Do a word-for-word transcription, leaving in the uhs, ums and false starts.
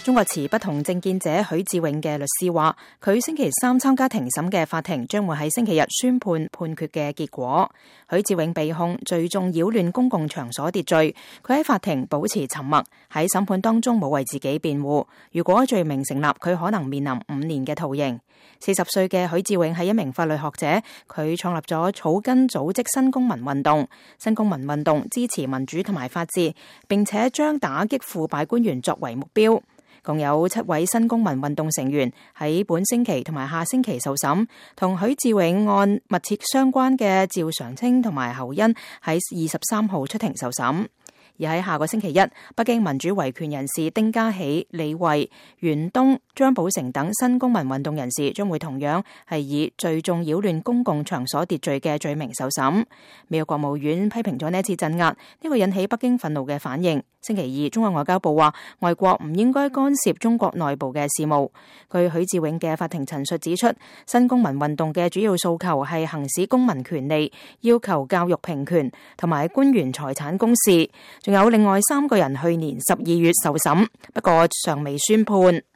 中國持不同政見者許志永嘅律師話，佢星期三參加庭審嘅法庭將會喺星期日宣判判決嘅結果。許志永被控聚眾擾亂公共場所秩序，佢喺法庭保持沉默，喺審判當中冇為自己辯護。如果罪名成立，佢可能面臨五年嘅徒刑。四十歲嘅許志永係一名法律學者，佢創立咗草根組織新公民運動。新公民運動支持民主同埋法治，並且將打擊腐敗官員作為目標。共有七位新公民運動成員喺本星期同埋下星期受審，同許志永案密切相關嘅趙常清同埋侯恩喺二十三號出庭受審。而喺下個星期一，北京民主維權人士丁家喜、李慧、袁東、張寶成等新公民運動人士將會同樣係以聚眾擾亂公共場所秩序嘅罪名受審。美國國務院批評咗呢一次鎮壓，呢個引起北京憤怒嘅反應。星期二，中國外交部話，外國唔應該干涉中國內部嘅事務。據許志永嘅法庭陳述指出，新公民運動嘅主要訴求係行使公民權利，要求教育平權同埋官員財產公示。仲有另外三個人去年十二月受審，不過尚未宣判。